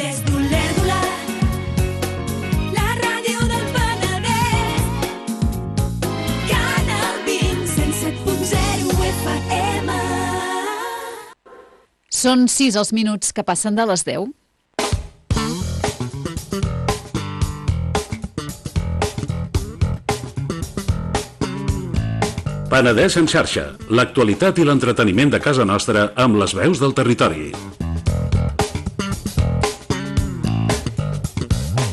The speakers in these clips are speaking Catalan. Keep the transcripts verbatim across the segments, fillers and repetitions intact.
Des d'Olèrdola, la ràdio del Penedès, Canal vint, cent set punt zero F M. Són sis els minuts que passen de les deu. Penedès en xarxa, l'actualitat i l'entreteniment de casa nostra amb les veus del territori.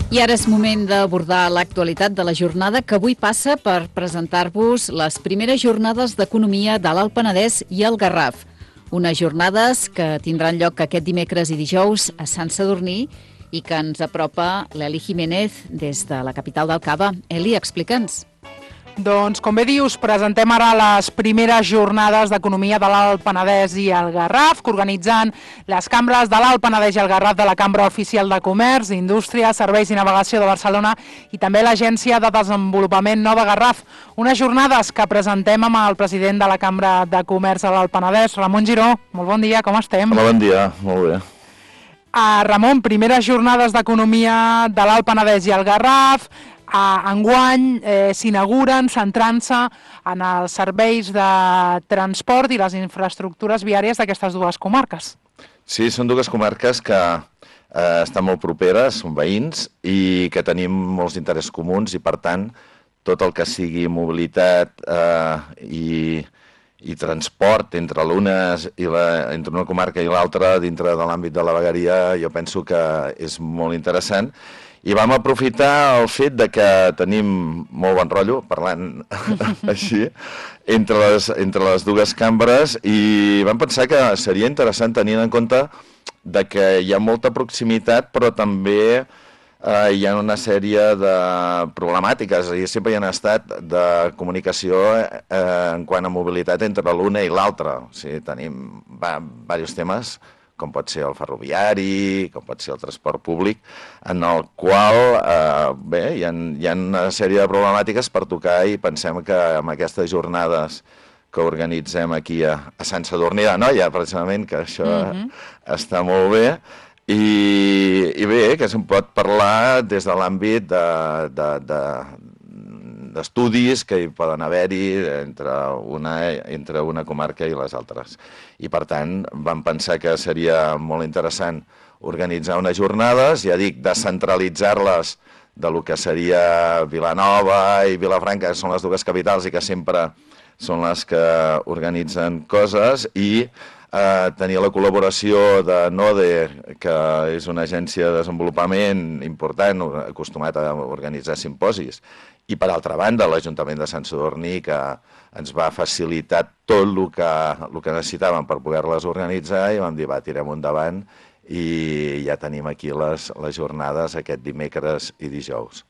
I ara és moment d'abordar l'actualitat de la jornada que avui passa per presentar-vos les primeres jornades d'economia de l'Alt Penedès i el Garraf. Unes jornades que tindran lloc aquest dimecres i dijous a Sant Sadurní i que ens apropa l'Eli Jiménez des de la capital del Cava. Eli, explica'ns. Doncs, com bé dius, presentem ara les primeres jornades d'economia de l'Alt Penedès i el Garraf, que organitzen les cambres de l'Alt Penedès i el Garraf de la Cambra Oficial de Comerç, Indústria, Serveis i Navegació de Barcelona i també l'Agència de Desenvolupament Nova Garraf. Unes jornades que presentem amb el president de la Cambra de Comerç de l'Alt Penedès, Ramon Giró. Molt bon dia, com estem? Hola, bon dia, molt bé. Uh, Ramon, primeres jornades d'economia de l'Alt Penedès i el Garraf. Uh, enguany eh, s'inauguren centrant-se en els serveis de transport i les infraestructures viàries d'aquestes dues comarques. Sí, són dues comarques que eh, estan molt properes, són veïns i que tenim molts interessos comuns i, per tant, tot el que sigui mobilitat eh, i, i transport entre l'una i la, entre una comarca i l'altra dintre de l'àmbit de la vegueria, jo penso que és molt interessant. I vam aprofitar el fet de que tenim molt bon rotllo, parlant així, entre les, entre les dues cambres, i vam pensar que seria interessant tenint en compte de que hi ha molta proximitat, però també eh, hi ha una sèrie de problemàtiques, i sempre hi ha estat de comunicació eh, en quant a mobilitat entre l'una i l'altra. O sigui, tenim va, diversos temes, com pot ser el ferroviari, com pot ser el transport públic, en el qual eh, bé, hi ha, hi ha una sèrie de problemàtiques per tocar i pensem que amb aquestes jornades que organitzem aquí a, a Sant Sadurní d'Anoia, precisament, que això mm-hmm. està molt bé, i, i bé, que se'n pot parlar des de l'àmbit de, de, de, d'estudis que hi poden haver-hi entre una, entre una comarca i les altres. I, per tant, vam pensar que seria molt interessant organitzar unes jornades, ja dic, descentralitzar-les de lo que seria Vilanova i Vilafranca, que són les dues capitals i que sempre són les que organitzen coses, i eh, tenir la col·laboració de NODE, que és una agència de desenvolupament important, acostumat a organitzar simposis, i, per altra banda, l'Ajuntament de Sant Sadurní, que ens va facilitar tot el que, el que necessitàvem per poder-les organitzar, i vam dir, va, tirem endavant, i ja tenim aquí les, les jornades aquest dimecres i dijous.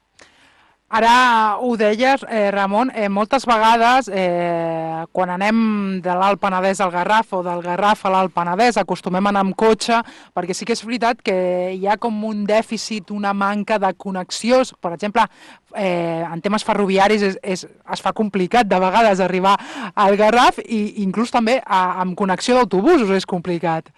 Ara ho deies, eh, Ramon, eh, moltes vegades eh, quan anem de l'Alt Penedès al Garraf o del Garraf a l'Alt Penedès acostumem a anar amb cotxe, perquè sí que és veritat que hi ha com un dèficit, una manca de connexió. Per exemple, eh, en temes ferroviaris és, és, es fa complicat de vegades arribar al Garraf i inclús també a, amb connexió d'autobusos és complicat.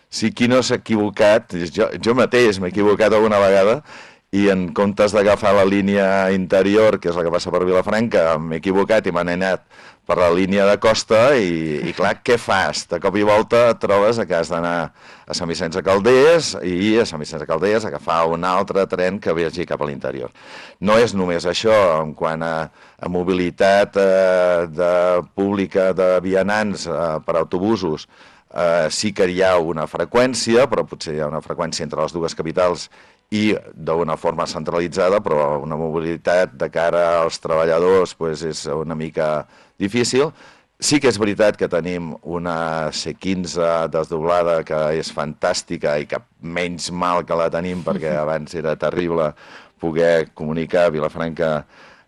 Sí, qui no s'ha equivocat, jo, jo mateix m'he equivocat alguna vegada, i en comptes d'agafar la línia interior, que és la que passa per Vilafranca, m'he equivocat i m'han anat per la línia de costa i, i clar, què fas? De cop i volta et trobes que has d'anar a Sant Vicenç de Calders i a Sant Vicenç de Calders agafar un altre tren que vagi cap a l'interior. No és només això, en quant a, a mobilitat eh, de pública de vianants eh, per autobusos, eh, sí que hi ha una freqüència, però potser hi ha una freqüència entre les dues capitals i d'una forma centralitzada, però una mobilitat de cara als treballadors pues, és una mica difícil. Sí que és veritat que tenim una C quinze desdoblada que és fantàstica i que menys mal que la tenim perquè abans era terrible poder comunicar Vilafranca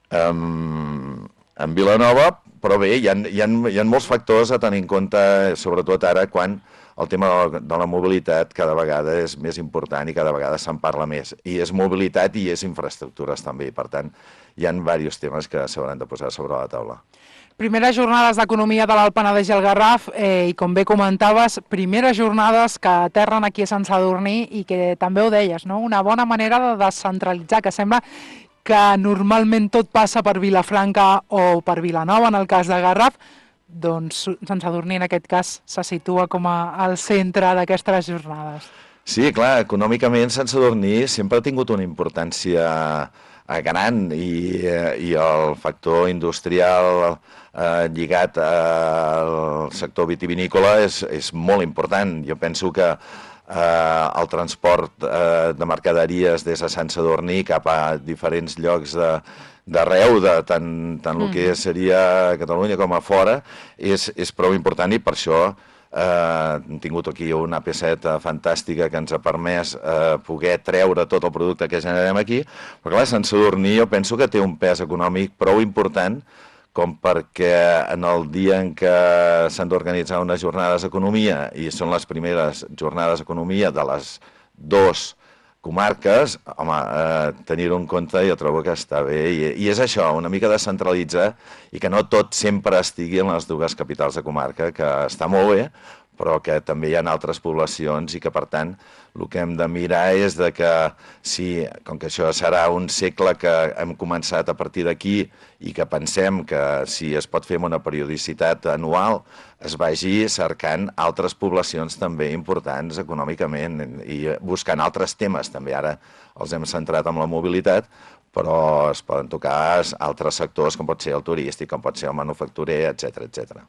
amb, amb Vilanova, però bé, hi ha, hi, ha, hi ha molts factors a tenir en compte, sobretot ara quan el tema de la mobilitat cada vegada és més important i cada vegada se'n parla més. I és mobilitat i és infraestructures també, i per tant hi ha diversos temes que s'hauran de posar sobre la taula. Primeres jornades d'economia de l'Alt Penedès i el Garraf, eh, i com bé comentaves, primeres jornades que aterren aquí a Sant Sadurní i que també ho deies, no? Una bona manera de descentralitzar, que sembla que normalment tot passa per Vilafranca o per Vilanova, en el cas de Garraf, doncs Sant Sadurní en aquest cas se situa com a al centre d'aquestes jornades. Sí, clar, econòmicament Sant Sadurní sempre ha tingut una importància gran i, i el factor industrial eh, lligat al sector vitivinícola és, és molt important. Jo penso que eh, el transport eh, de mercaderies des de Sant Sadurní cap a diferents llocs de, d'arreu, de tant, tant mm. el que seria Catalunya com a fora, és, és prou important i per això Uh, hem tingut aquí una A P set fantàstica que ens ha permès uh, poder treure tot el producte que generem aquí, però clar, Sant Sadurní jo penso que té un pes econòmic prou important com perquè en el dia en què s'han d'organitzar unes jornades d'economia, i són les primeres jornades d'economia de les dos comarques, home, eh, tenir-ho en compte jo trobo que està bé, i, i és això, una mica descentralitzar i que no tot sempre estigui en les dues capitals de comarca, que està molt bé, però que també hi ha altres poblacions i que, per tant, el que hem de mirar és de que, si, com que això serà un segle que hem començat a partir d'aquí i que pensem que si es pot fer amb una periodicitat anual, es vagi cercant altres poblacions també importants econòmicament i buscant altres temes. També ara els hem centrat en la mobilitat, però es poden tocar altres sectors, com pot ser el turístic, com pot ser el manufacturer, etcètera, etcètera.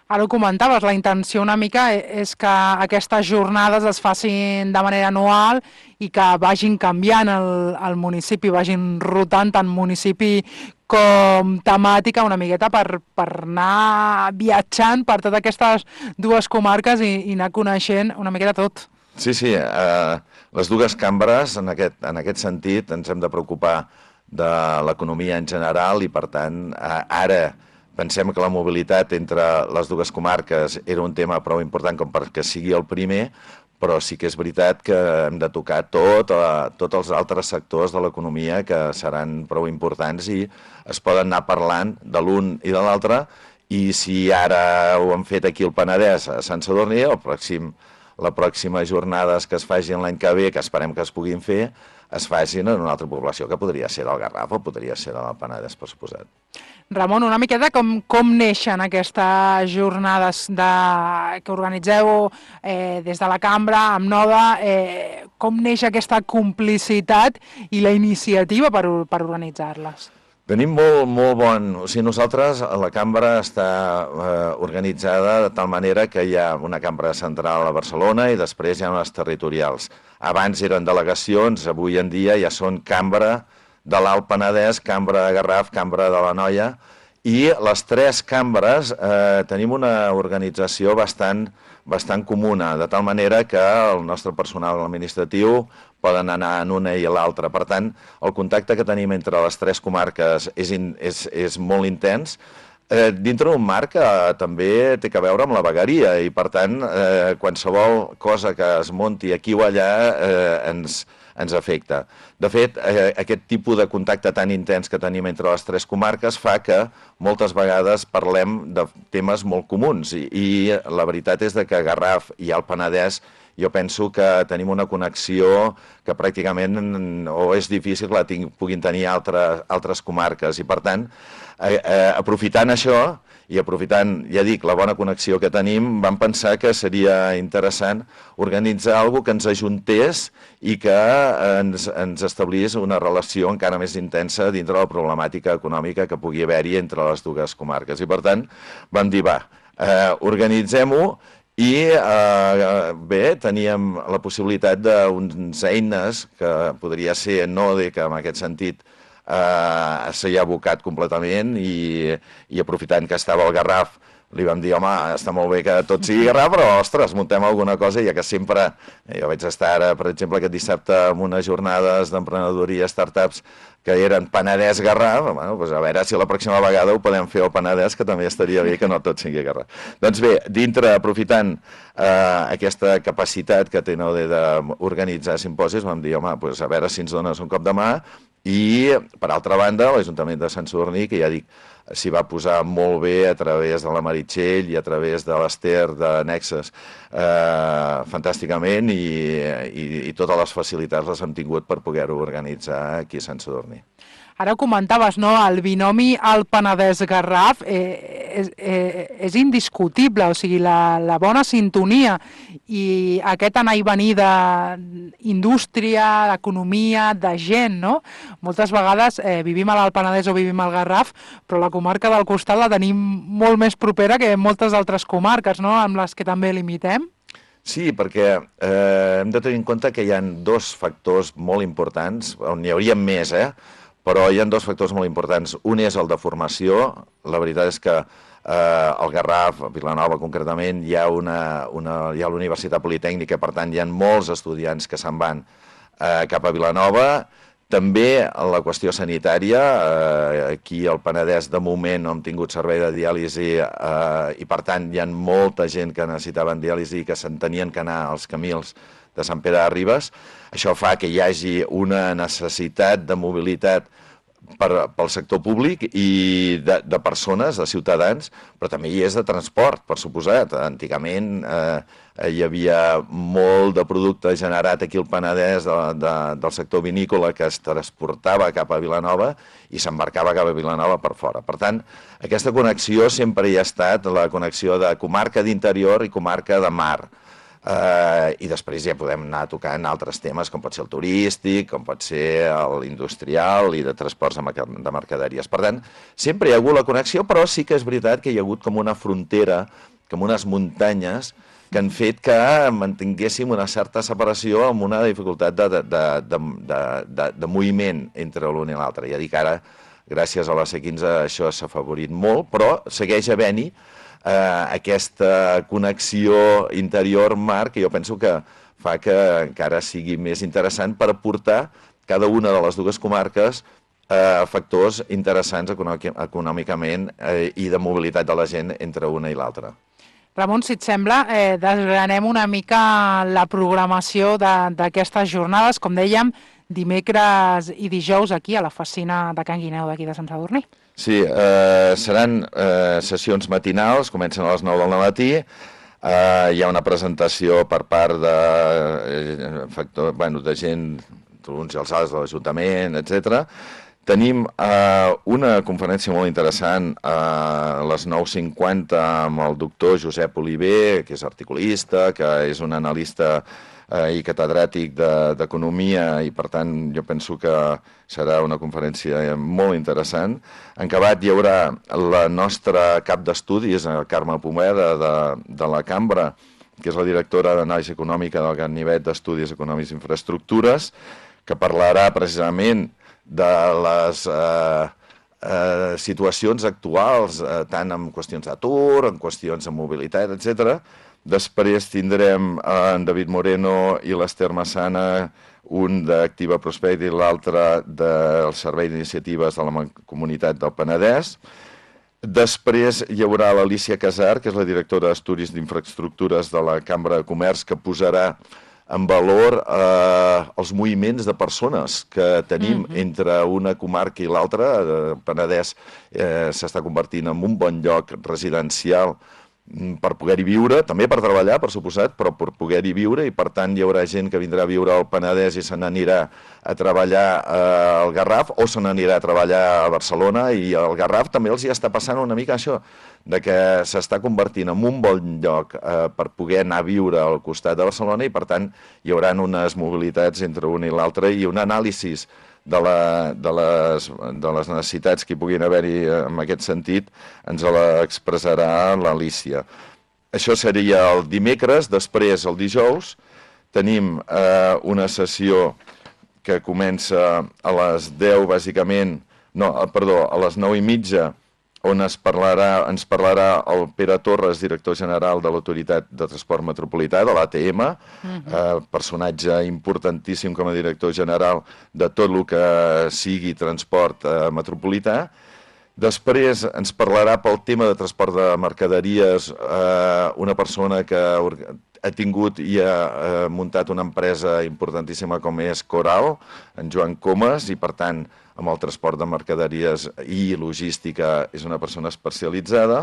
Ara ho comentaves, la intenció una mica és que aquestes jornades es facin de manera anual i que vagin canviant el, el municipi, vagin rotant tant municipi com temàtica una miqueta per, per anar viatjant per totes aquestes dues comarques i, i anar coneixent una miqueta tot. Sí, sí, eh, les dues cambres, en aquest, en aquest sentit, ens hem de preocupar de l'economia en general i, per tant, eh, ara pensem que la mobilitat entre les dues comarques era un tema prou important com perquè sigui el primer, però sí que és veritat que hem de tocar tot, eh, tots els altres sectors de l'economia que seran prou importants i es poden anar parlant de l'un i de l'altre, i si ara ho hem fet aquí al Penedès, a Sant Sadurní, el pròxim, la pròxima jornades que es facin l'any que ve, que esperem que es puguin fer, es facin en una altra població, que podria ser el Garraf o podria ser el Penedès, per suposat. Ramon, una miqueta com, com neixen aquestes jornades de, que organitzeu eh, des de la cambra, amb Noda, eh, com neix aquesta complicitat i la iniciativa per, per organitzar-les? Tenim molt, molt bon... O sigui, nosaltres, la cambra està eh, organitzada de tal manera que hi ha una cambra central a Barcelona i després hi ha unes territorials. Abans eren delegacions, avui en dia ja són cambra de l'Alt Penedès, cambra de Garraf, cambra de l'Anoia, i les tres cambres eh, tenim una organització bastant, bastant comuna, de tal manera que el nostre personal administratiu poden anar en una i l'altra. Per tant, el contacte que tenim entre les tres comarques és, in, és, és molt intens, eh, dintre d'un marc que també té a veure amb la vegueria i, per tant, eh, qualsevol cosa que es munti aquí o allà eh, ens, ens afecta. De fet, eh, aquest tipus de contacte tan intens que tenim entre les tres comarques fa que moltes vegades parlem de temes molt comuns i, i la veritat és que Garraf i el Penedès jo penso que tenim una connexió que pràcticament o és difícil que la ting, puguin tenir altres, altres comarques i, per tant, eh, eh, aprofitant això i aprofitant, ja dic, la bona connexió que tenim, vam pensar que seria interessant organitzar alguna cosa que ens ajuntés i que ens, ens establís una relació encara més intensa dintre la problemàtica econòmica que pugui haver-hi entre les dues comarques. I, per tant, vam dir, va, eh, organitzem-ho. I eh, bé, teníem la possibilitat d'unes eines que podria ser Node, que en aquest sentit eh, s'hi ha abocat completament i, i aprofitant que estava el Garraf li vam dir, home, està molt bé que tot sigui Garraf, però, ostres, muntem alguna cosa, ja que sempre... Jo vaig estar ara, per exemple, aquest dissabte amb unes jornades d'emprenedoria, startups, que eren Penedès-Garraf, bueno, doncs a veure si la pròxima vegada ho podem fer al Penedès, que també estaria bé que no tot sigui Garraf. Doncs bé, dintre, aprofitant eh, aquesta capacitat que té Naude d'organitzar simposis, vam dir, home, doncs a veure si ens dones un cop de mà, i, per altra banda, l'Ajuntament de Sant Sadurní, que ja dic, s'hi va posar molt bé a través de la Meritxell i a través de l'Ester de Nexes, eh, fantàsticament, i, i, i totes les facilitats les hem tingut per poder-ho organitzar aquí a Sant Sadurní. Ara comentaves, no?, el binomi al Penedès-Garraf eh, és, eh, és indiscutible, o sigui, la, la bona sintonia i aquest anar i venir d'indústria, d'economia, de gent, no? Moltes vegades eh, vivim a l'Alt Penedès o vivim al Garraf, però la comarca del costat la tenim molt més propera que moltes altres comarques, no?, amb les que també limitem. Sí, perquè eh, hem de tenir en compte que hi ha dos factors molt importants, on n'hi hauria més, eh? Però hi ha dos factors molt importants. Un és el de formació. La veritat és que eh, al Garraf, a Vilanova concretament, hi ha una, una, hi ha l'Universitat Politècnica, per tant hi ha molts estudiants que se'n van eh, cap a Vilanova. També la qüestió sanitària, eh, aquí al Penedès de moment no hem tingut servei de diàlisi eh, i per tant hi ha molta gent que necessitaven diàlisi i que se'n tenien que anar als Camils de Sant Pere de Ribes. Això fa que hi hagi una necessitat de mobilitat per, pel sector públic i de, de persones, de ciutadans, però també hi és de transport, per suposat. Antigament eh, hi havia molt de producte generat aquí al Penedès de, de, del sector vinícola que es transportava cap a Vilanova i s'embarcava cap a Vilanova per fora. Per tant, aquesta connexió sempre hi ha estat la connexió de comarca d'interior i comarca de mar. Uh, i després ja podem anar tocant altres temes com pot ser el turístic, com pot ser l'industrial i de transports de mercaderies. Per tant, sempre hi ha hagut la connexió, però sí que és veritat que hi ha hagut com una frontera, com unes muntanyes que han fet que mantinguéssim una certa separació amb una dificultat de, de, de, de, de, de moviment entre l'un i l'altre. Ja dic ara, gràcies a la C quinze això s'ha afavorit molt, però segueix havent-hi Uh, aquesta connexió interior-mar que jo penso que fa que encara sigui més interessant per aportar cada una de les dues comarques uh, factors interessants econòmicament uh, i de mobilitat de la gent entre una i l'altra. Ramon, si et sembla, eh, desgranem una mica la programació d'aquestes jornades, com dèiem, dimecres i dijous aquí a la Facina de Can Guineu d'aquí de Sant Sadurní. Sí, eh, seran eh, sessions matinals, comencen a les nou del matí, eh, hi ha una presentació per part de, eh, factor, bueno, de gent, uns i els altres de l'Ajuntament, etcètera. Tenim eh, una conferència molt interessant eh, a les nou cinquanta amb el doctor Josep Oliver, que és articulista, que és un analista i catedràtic d'economia i per tant jo penso que serà una conferència molt interessant. En acabat hi haurà la nostra cap d'estudis, Carme Pomeda de, de la Cambra, que és la directora d'anàlisi econòmica del Ganivet d'Estudis Econòmics i Infraestructures, que parlarà precisament de les eh, eh, situacions actuals, eh, tant en qüestions d'atur, en qüestions de mobilitat, etcètera. Després tindrem en David Moreno i l'Ester Massana, un d'Activa Prosperity i l'altre del Servei d'Iniciatives de la Comunitat del Penedès. Després hi haurà l'Alicia Casar, que és la directora d'Estudis d'Infraestructures de la Cambra de Comerç, que posarà en valor eh, els moviments de persones que tenim mm-hmm. entre una comarca i l'altra. El Penedès eh, s'està convertint en un bon lloc residencial per poder-hi viure, també per treballar, per suposat, però per poder-hi viure i per tant hi haurà gent que vindrà a viure al Penedès i se n'anirà a treballar al Garraf o se n'anirà a treballar a Barcelona i al Garraf també els hi està passant una mica això, de que s'està convertint en un bon lloc eh, per poder anar a viure al costat de Barcelona i per tant hi haurà unes mobilitats entre un i l'altre i un anàlisi de, la, de, les, de les necessitats que hi puguin haver-hi en aquest sentit, ens l'expressarà l'Alicia. Això seria el dimecres. Després, el dijous, tenim eh, una sessió que comença a les deu, bàsicament, no, perdó, a les nou i mitja on es parlarà, ens parlarà el Pere Torres, director general de l'Autoritat de Transport Metropolità, de l'A T M, uh-huh. eh, personatge importantíssim com a director general de tot el que sigui transport eh, metropolità. Després ens parlarà pel tema de transport de mercaderies eh, una persona que ha tingut i ha eh, muntat una empresa importantíssima com és Coral, en Joan Comas, i per tant amb el transport de mercaderies i logística és una persona especialitzada.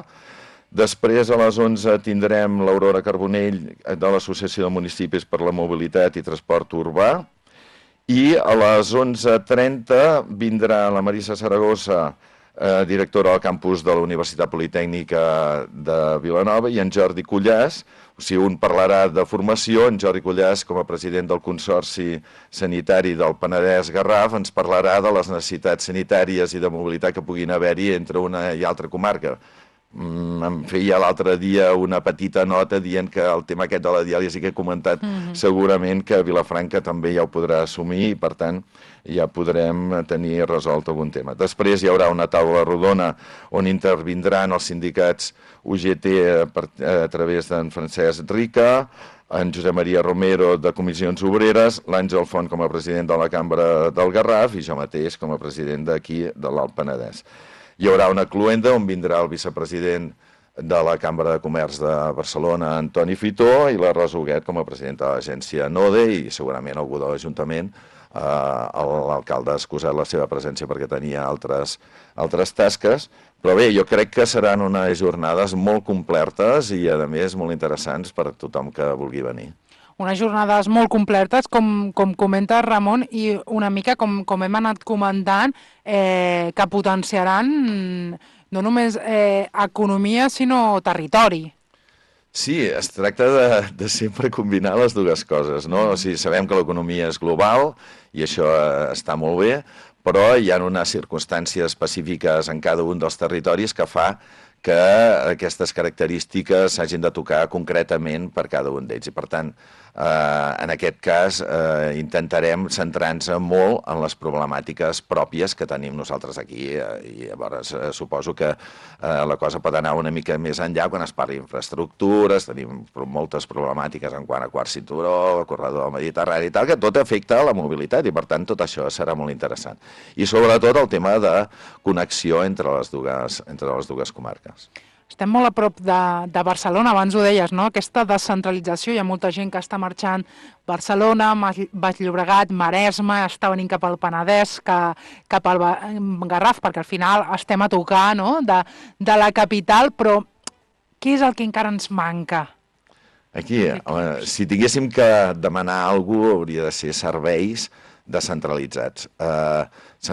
Després a les onze tindrem l'Aurora Carbonell de l'Associació de Municipis per la Mobilitat i Transport Urbà, i a les onze trenta vindrà la Marisa Saragossa, eh, directora del campus de la Universitat Politècnica de Vilanova, i en Jordi Cullàs. O sigui, un parlarà de formació, en Jordi Cullàs, com a president del Consorci Sanitari del Penedès-Garraf, ens parlarà de les necessitats sanitàries i de mobilitat que puguin haver-hi entre una i altra comarca. Mm, em feia l'altre dia una petita nota dient que el tema aquest de la diàlisi que he comentat, mm-hmm. segurament que Vilafranca també ja ho podrà assumir i, per tant, ja podrem tenir resolt algun tema. Després hi haurà una taula rodona on intervindran els sindicats U G T a, a través d'en Francesc Rica, en Josep Maria Romero de Comissions Obreres, l'Àngel Font com a president de la Cambra del Garraf i jo mateix com a president d'aquí de l'Alt Penedès. Hi haurà una cluenda on vindrà el vicepresident de la Cambra de Comerç de Barcelona, Antoni Fitó, i la Rosa Huguet com a presidenta de l'agència NODE, i segurament algú de l'Ajuntament. Uh, l'alcalde ha excusat la seva presència perquè tenia altres, altres tasques, però bé, jo crec que seran unes jornades molt completes i a més molt interessants per a tothom que vulgui venir. Unes jornades molt completes, com, com comenta Ramon, i una mica com, com hem anat comentant, eh, que potenciaran no només eh, economia sinó territori. Sí, es tracta de, de sempre combinar les dues coses, no? O sigui, sabem que l'economia és global i això està molt bé, però hi ha unes circumstàncies específiques en cada un dels territoris que fa que aquestes característiques s'hagin de tocar concretament per cada un d'ells. I per tant, eh, en aquest cas, eh, intentarem centrar-nos molt en les problemàtiques pròpies que tenim nosaltres aquí. Eh, I llavors eh, suposo que eh, la cosa pot anar una mica més enllà quan es parli d'infraestructures, tenim moltes problemàtiques en quant a quart cinturó, corredor del Mediterrani i tal, que tot afecta la mobilitat i per tant tot això serà molt interessant. I sobretot el tema de connexió entre les dues, entre les dues comarques. Estem molt a prop de, de Barcelona, abans ho deies, no? Aquesta descentralització, hi ha molta gent que està marxant Barcelona, Baix Llobregat, Maresme, està venint cap al Penedès, que, cap al Garraf, perquè al final estem a tocar, no? de, de la capital, però què és el que encara ens manca? Aquí, home, si tinguéssim que demanar alguna cosa, hauria de ser serveis descentralitzats. Eh,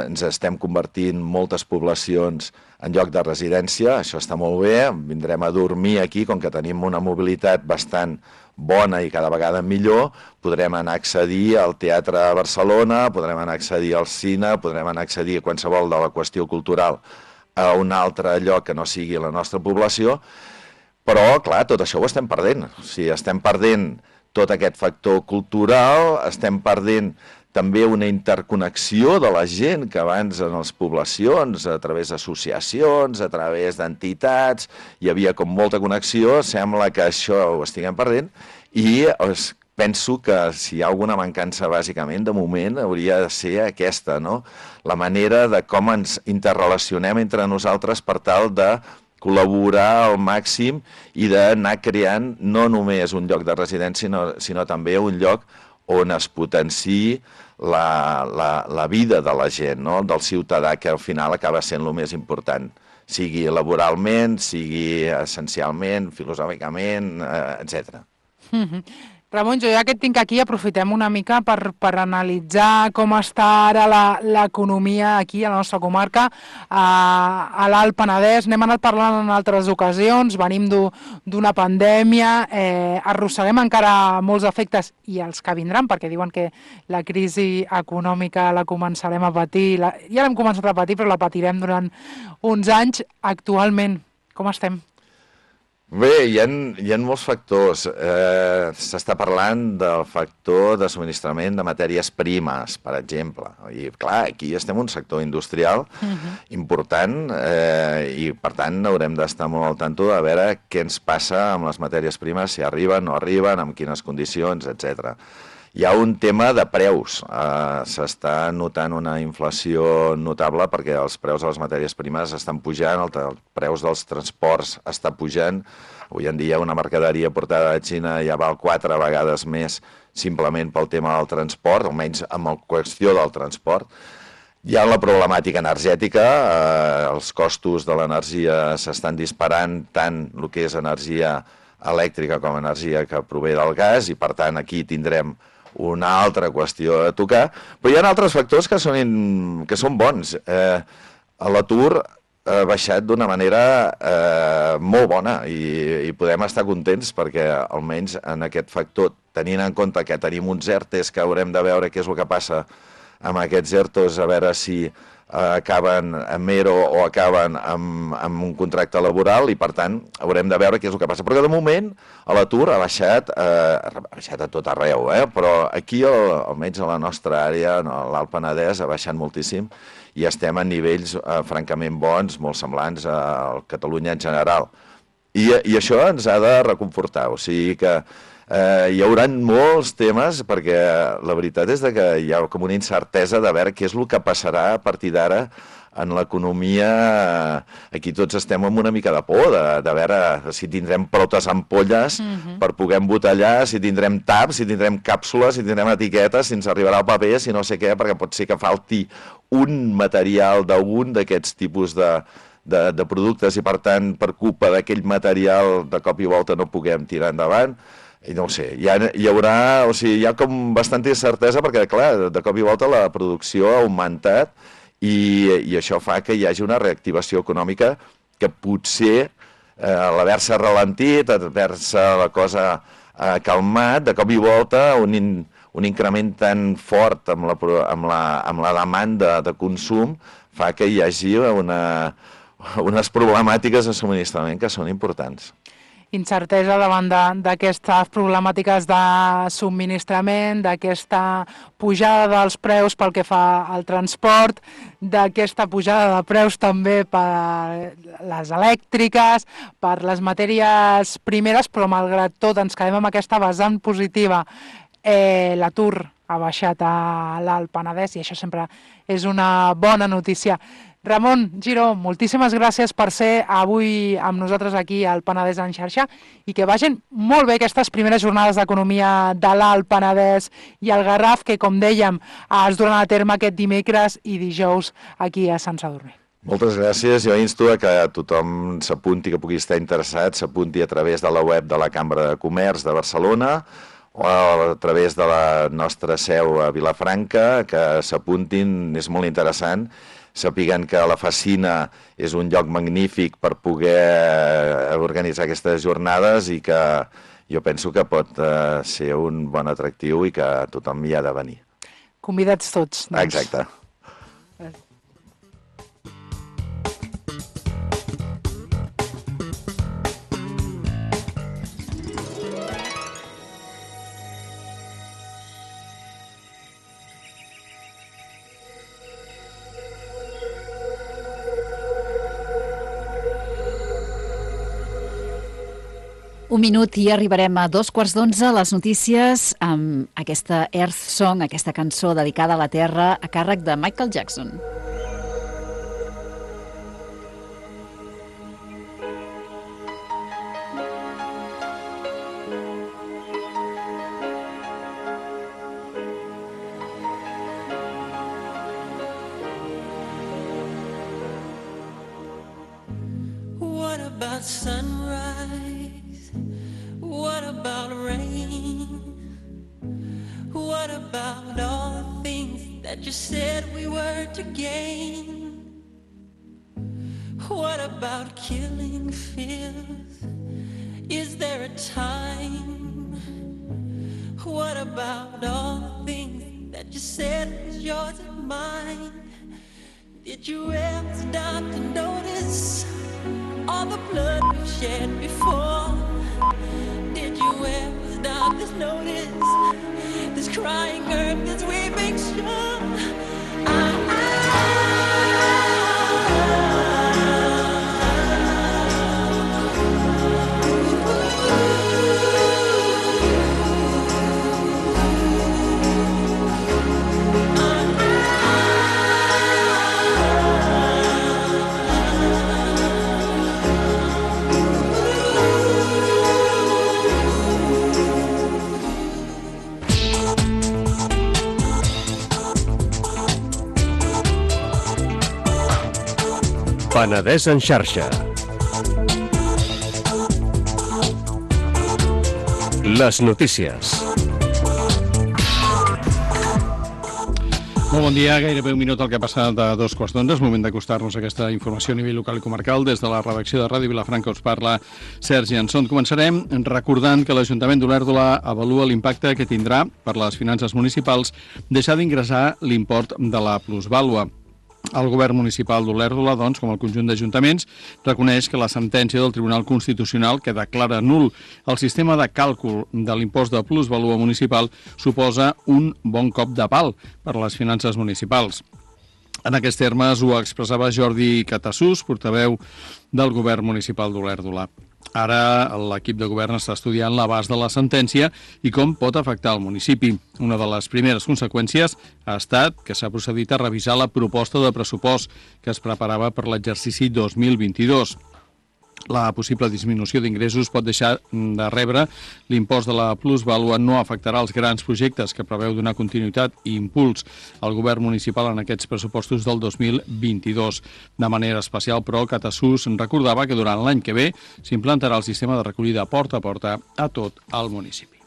ens estem convertint moltes poblacions en lloc de residència, això està molt bé, vindrem a dormir aquí, com que tenim una mobilitat bastant bona i cada vegada millor, podrem anar a accedir al Teatre a Barcelona, podrem anar a accedir al cine, podrem anar a accedir a qualsevol de la qüestió cultural a un altre lloc que no sigui la nostra població, però, clar, tot això ho estem perdent. O sigui, estem perdent tot aquest factor cultural, estem perdent també una interconnexió de la gent que abans en les poblacions, a través d'associacions, a través d'entitats, hi havia com molta connexió, sembla que això ho estiguem perdent, i penso que si hi ha alguna mancança bàsicament, de moment, hauria de ser aquesta, no? La manera de com ens interrelacionem entre nosaltres per tal de col·laborar al màxim i d'anar creant no només un lloc de residència, sinó, sinó també un lloc on es potenciï la, la, la vida de la gent, no? Del ciutadà, que al final acaba sent el més important, sigui laboralment, sigui essencialment, filosòficament, eh, etcètera. Mm-hmm. Ramon, jo ja que et tinc aquí, aprofitem una mica per, per analitzar com està ara l'economia aquí a la nostra comarca, a, a l'Alt Penedès. N'hem anat parlant en altres ocasions, venim d'una pandèmia, eh, arrosseguem encara molts efectes i els que vindran, perquè diuen que la crisi econòmica la començarem a patir, la, ja l'hem començat a patir, però la patirem durant uns anys. Actualment, com estem? Bé, hi ha, hi ha molts factors. Eh, S'està parlant del factor de subministrament de matèries primes, per exemple. I, clar, aquí estem en un sector industrial uh-huh. important eh, i, per tant, haurem d'estar molt al tanto de veure què ens passa amb les matèries primes, si arriben, no arriben, amb quines condicions, etcètera. Hi ha un tema de preus. Uh, S'està notant una inflació notable perquè els preus de les matèries primes estan pujant, el, el preus dels transports està pujant. Avui en dia una mercaderia portada de Xina ja val quatre vegades més simplement pel tema del transport, almenys amb la qüestió del transport. Hi ha la problemàtica energètica, eh, els costos de l'energia s'estan disparant, tant el que és energia elèctrica com energia que prové del gas, i per tant aquí tindrem una altra qüestió a tocar, però hi ha altres factors que són, in... que són bons. Eh, L'atur ha baixat d'una manera eh, molt bona i, i podem estar contents perquè almenys en aquest factor, tenint en compte que tenim uns ERTEs que haurem de veure què és el que passa amb aquests ERTOs, a veure si eh, acaben amb ERO o acaben amb, amb un contracte laboral, i per tant haurem de veure què és el que passa. Però de moment l'atur ha baixat, eh, ha baixat a tot arreu, eh? Però aquí, el, almenys a la nostra àrea, a l'Alt Penedès, ha baixat moltíssim i estem a nivells eh, francament bons, molt semblants a Catalunya en general. I, I això ens ha de reconfortar, o sigui que eh, hi haurà molts temes, perquè la veritat és que hi ha com una incertesa de veure què és el que passarà a partir d'ara en l'economia. Aquí tots estem amb una mica de por, de, de veure si tindrem protes ampolles uh-huh. per poder embotellar, si tindrem taps, si tindrem càpsules, si tindrem etiquetes, si ens arribarà el paper, si no sé què, perquè pot ser que falti un material d'un d'aquests tipus de, de, de productes i, per tant, per culpa d'aquell material, de cop i volta no puguem tirar endavant. I no ho sé, hi, ha, hi haurà, o sigui, hi ha com bastanta incertesa perquè, clar, de cop i volta la producció ha augmentat i, i això fa que hi hagi una reactivació econòmica que potser, eh, a l'haver-se ralentit, a haver-se la cosa eh, calmat, de cop i volta un, in, un increment tan fort amb la, amb la, amb la demanda de consum fa que hi hagi una, unes problemàtiques de subministrament que són importants. Incertesa davant d'aquestes problemàtiques de subministrament, d'aquesta pujada dels preus pel que fa al transport, d'aquesta pujada de preus també per les elèctriques, per les matèries primeres, però malgrat tot ens quedem amb aquesta vessant positiva. Eh, L'atur ha baixat a l'Alt Penedès i això sempre és una bona notícia. Ramon Giró, moltíssimes gràcies per ser avui amb nosaltres aquí al Penedès en xarxa i que vagin molt bé aquestes primeres jornades d'economia de l'Alt Penedès i el Garraf, que, com dèiem, es duran a terme aquest dimecres i dijous aquí a Sant Sadurní. Moltes gràcies. Jo insto a que tothom s'apunti, que pugui estar interessat, s'apunti a través de la web de la Cambra de Comerç de Barcelona o a través de la nostra seu a Vilafranca, que s'apuntin, és molt interessant. Sàpiguen que la Facina és un lloc magnífic per poder organitzar aquestes jornades i que jo penso que pot eh, ser un bon atractiu i que tothom hi ha de venir. Convidats tots, doncs. Exacte. Un minut i arribarem a dos quarts d'onze, les notícies amb aquesta Earth Song, aquesta cançó dedicada a la Terra a càrrec de Michael Jackson. What about sunrise? What about rain? What about all the things that you said we were to gain? What about killing fears? Is there a time? What about all the things that you said was yours and mine? Did you ever stop to notice all the blood we've shed before? Did you ever stop this notice? This crying earth, this weeping shore. I, I Penedès en xarxa. Les notícies. Molt bon dia, gairebé un minut al que ha passat de dos quarts d'onze. És moment d'acostar-nos a aquesta informació a nivell local i comarcal. Des de la redacció de Ràdio Vilafranca us parla Sergi Anson. Començarem recordant que l'Ajuntament d'Olèrdola avalua l'impacte que tindrà per les finances municipals deixar d'ingressar l'import de la plusvàlua. El govern municipal d'Olèrdola, doncs, com el conjunt d'ajuntaments, reconeix que la sentència del Tribunal Constitucional que declara nul el sistema de càlcul de l'impost de plusvalua municipal suposa un bon cop de pal per a les finances municipals. En aquests termes ho expressava Jordi Catassús, portaveu del govern municipal d'Olèrdola. Ara l'equip de govern està estudiant l'abast de la sentència i com pot afectar el municipi. Una de les primeres conseqüències ha estat que s'ha procedit a revisar la proposta de pressupost que es preparava per l'exercici dos mil vint-i-dos. La possible disminució d'ingressos pot deixar de rebre l'impost de la plusvàlua, no afectarà els grans projectes que preveu donar continuïtat i impuls al govern municipal en aquests pressupostos del dos mil vint-i-dos. De manera especial, però, Catassús recordava que durant l'any que ve s'implantarà el sistema de recollida porta a porta a tot el municipi.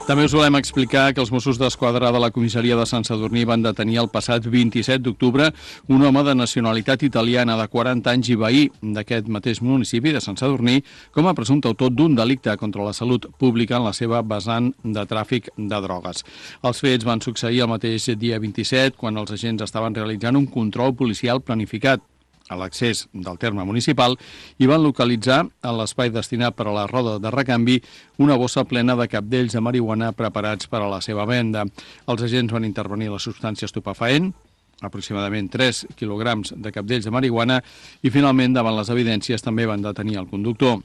També us volem explicar que els Mossos d'Esquadra de la comissaria de Sant Sadurní van detenir el passat vint-i-set d'octubre un home de nacionalitat italiana de quaranta anys i veí d'aquest mateix municipi de Sant Sadurní com a presumpte autor d'un delicte contra la salut pública en la seva vessant de tràfic de drogues. Els fets van succeir el mateix dia vint-i-set quan els agents estaven realitzant un control policial planificat a l'accés del terme municipal i van localitzar en l'espai destinat per a la roda de recanvi una bossa plena de cabdells de marihuana preparats per a la seva venda. Els agents van intervenir la substància estupefaent, aproximadament tres quilograms de cabdells de marihuana, i finalment, davant les evidències, també van detenir el conductor.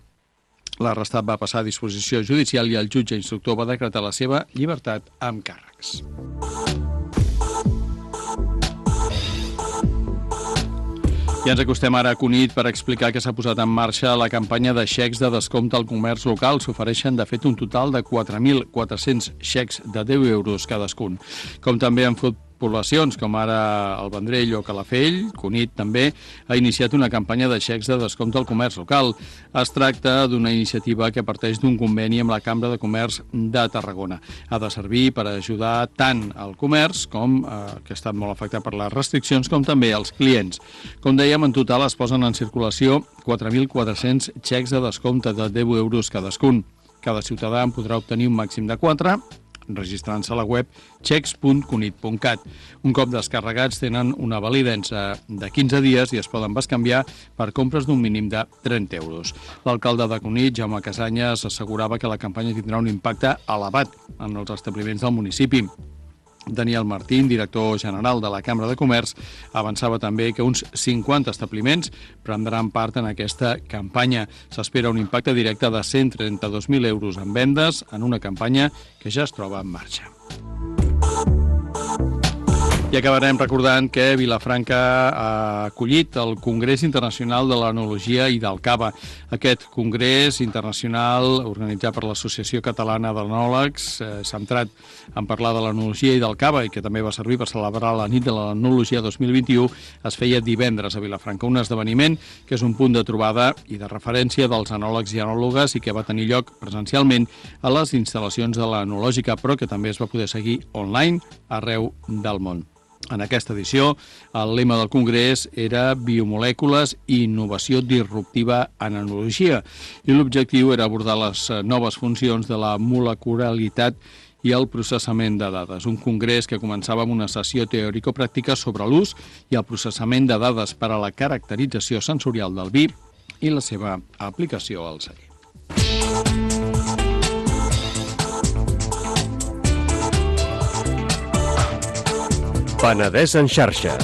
L'arrestat va passar a disposició judicial i el jutge instructor va decretar la seva llibertat amb càrrecs. I ens acostem ara a Cunit per explicar que s'ha posat en marxa la campanya de xecs de descompte al comerç local. S'ofereixen, de fet, un total de quatre mil quatre-cents xecs de deu euros cadascun. Com també han fet poblacions com ara el Vendrell o Calafell, Cunit també ha iniciat una campanya de xecs de descompte al comerç local. Es tracta d'una iniciativa que parteix d'un conveni amb la Cambra de Comerç de Tarragona. Ha de servir per ajudar tant al comerç, com eh, que ha estat molt afectat per les restriccions, com també als clients. Com dèiem, en total es posen en circulació quatre mil quatre-cents xecs de descompte de deu euros cadascun. Cada ciutadà en podrà obtenir un màxim de quatre, registrant-se a la web xecs punt cunit punt cat. Un cop descarregats tenen una validesa de quinze dies i es poden bescanviar per compres d'un mínim de trenta euros. L'alcalde de Cunit, Jaume Casanyes, assegurava que la campanya tindrà un impacte elevat en els establiments del municipi. Daniel Martín, director general de la Cambra de Comerç, avançava també que uns cinquanta establiments prendran part en aquesta campanya. S'espera un impacte directe de cent trenta-dos mil euros en vendes en una campanya que ja es troba en marxa. I acabarem recordant que Vilafranca ha acollit el Congrés Internacional de l'Enologia i del Cava. Aquest congrés internacional, organitzat per l'Associació Catalana d'Enòlegs, eh, centrat en parlar de l'enologia i del cava, i que també va servir per celebrar la nit de l'enologia dos mil vint-i-u, es feia divendres a Vilafranca, un esdeveniment que és un punt de trobada i de referència dels enòlegs i enòlogues i que va tenir lloc presencialment a les instal·lacions de l'enològica, però que també es va poder seguir online arreu del món. En aquesta edició, el lema del Congrés era Biomolècules i innovació disruptiva en enologia, i l'objectiu era abordar les noves funcions de la molecularitat i el processament de dades. Un congrés que començava amb una sessió teòrico-pràctica sobre l'ús i el processament de dades per a la caracterització sensorial del vi, i la seva aplicació al celler. Penedès en xarxa.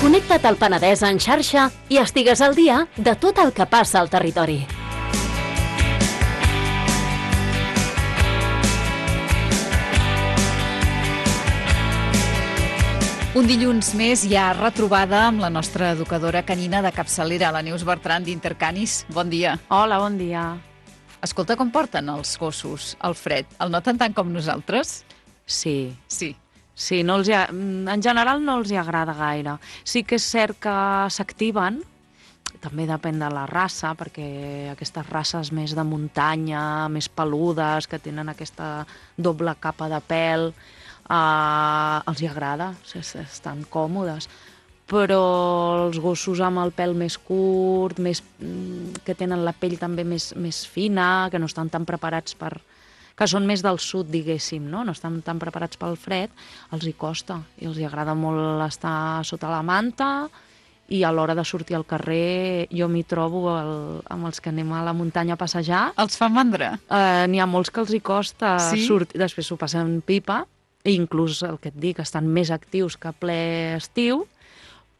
Connecta't al Penedès en xarxa i estigues al dia de tot el que passa al territori. Un dilluns més ja retrobada amb la nostra educadora canina de capçalera, la Neus Bertran d'Intercanis. Bon dia. Hola, bon dia. Escolta, com porten els gossos el fred? El noten tant com nosaltres? Sí. Sí. Sí, no els hi ha... en general no els hi agrada gaire. Sí que és cert que s'activen, també depèn de la raça, perquè aquestes races més de muntanya, més peludes, que tenen aquesta doble capa de pèl, Uh, els hi agrada, estan còmodes, però els gossos amb el pèl més curt, més, que tenen la pell també més, més fina, que no estan tan preparats per... que són més del sud, diguéssim, no? No estan tan preparats pel fred, els hi costa, i els hi agrada molt estar sota la manta, i a l'hora de sortir al carrer jo m'hi trobo el, amb els que anem a la muntanya a passejar. Els fa mandra? Uh, N'hi ha molts que els hi costa sí? sortir, després s'ho passen pipa, i inclús, el que et dic, estan més actius que ple estiu,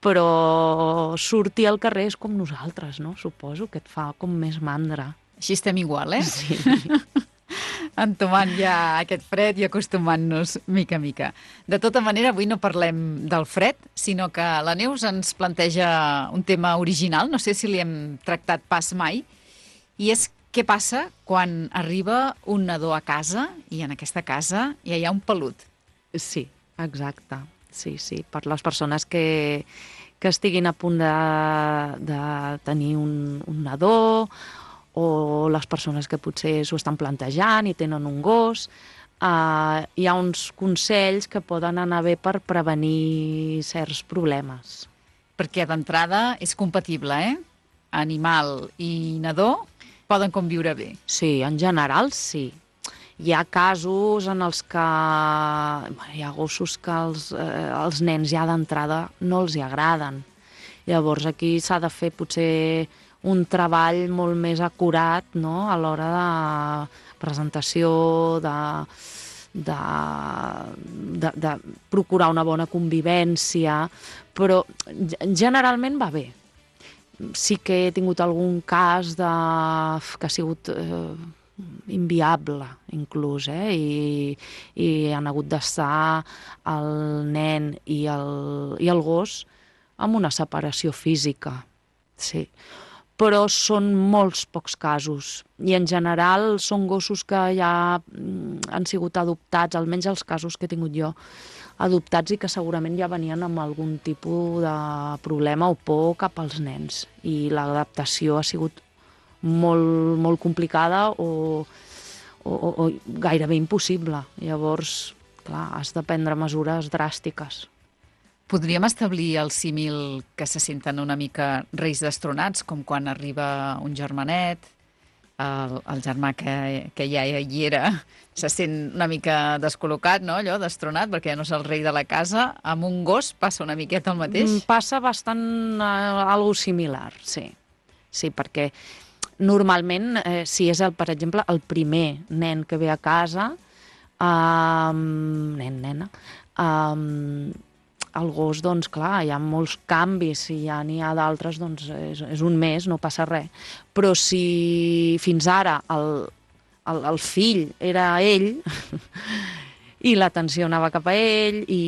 però sortir al carrer és com nosaltres, no? Suposo que et fa com més mandra. Així estem igual, eh? Sí. Entomant ja aquest fred i acostumant-nos mica a mica. De tota manera, avui no parlem del fred, sinó que la Neus ens planteja un tema original, no sé si li hem tractat pas mai, i és què passa quan arriba un nadó a casa i en aquesta casa ja hi ha un pelut. Sí, exacte. Sí, sí. Per les persones que, que estiguin a punt de, de tenir un, un nadó, o les persones que potser s'ho estan plantejant i tenen un gos, eh, hi ha uns consells que poden anar bé per prevenir certs problemes. Perquè d'entrada és compatible, eh? Animal i nadó poden conviure bé. Sí, en general sí. Hi ha casos en els que hi ha gossos que els, eh, els nens ja d'entrada no els hi agraden. Llavors aquí s'ha de fer potser un treball molt més acurat, no?, a l'hora de presentació, de, de, de, de procurar una bona convivència, però generalment va bé. Sí que he tingut algun cas de, que ha sigut eh, inviable, inclús, eh? I, i han hagut d'estar el nen i el, i el gos amb una separació física, sí. Però són molts pocs casos, i en general són gossos que ja han sigut adoptats, almenys els casos que he tingut jo, adoptats i que segurament ja venien amb algun tipus de problema o por cap als nens, i l'adaptació ha sigut molt, molt complicada o, o, o gairebé impossible. Llavors, clar, has de prendre mesures dràstiques. Podríem establir el símil que se senten una mica reis destronats, com quan arriba un germanet, el, el germà que, que ja hi era, se sent una mica descol·locat, no?, allò, destronat, perquè ja no és el rei de la casa. Amb un gos passa una miqueta el mateix? Passa bastant uh, algo similar, sí. Sí, perquè normalment, eh, si és, el, per exemple, el primer nen que ve a casa, um, nen, nena, um, el gos, doncs, clar, hi ha molts canvis, si ja n'hi ha d'altres, doncs és, és un mes, no passa res. Però si fins ara el, el, el fill era ell, i l'atenció anava cap a ell, i,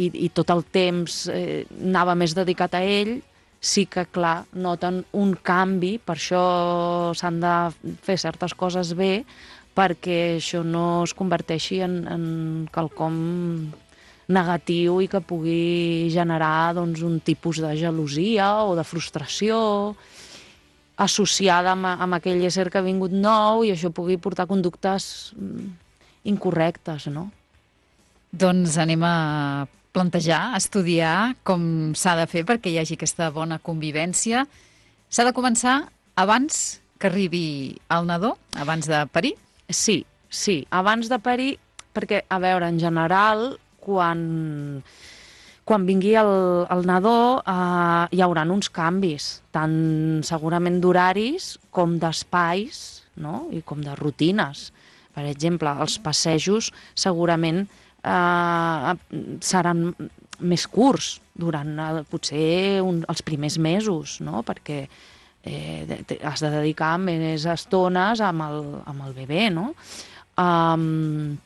i, i tot el temps eh, anava més dedicat a ell, sí que, clar, noten un canvi, per això s'han de fer certes coses bé, perquè això no es converteixi en, en quelcom negatiu i que pugui generar, doncs, un tipus de gelosia o de frustració associada amb, amb aquell ésser que ha vingut nou, i això pugui portar conductes incorrectes, no? Doncs anem a plantejar, estudiar com s'ha de fer perquè hi hagi aquesta bona convivència. S'ha de començar abans que arribi el nadó, abans de parir? Sí, sí, abans de parir, perquè, a veure, en general, quan, quan vingui el, el nadó eh, hi haurà uns canvis, tant segurament d'horaris com d'espais, no? I com de rutines. Per exemple, els passejos segurament eh, seran més curts durant eh, potser un, els primers mesos, no? Perquè eh, has de dedicar més estones amb el, amb el bebè, no? Um,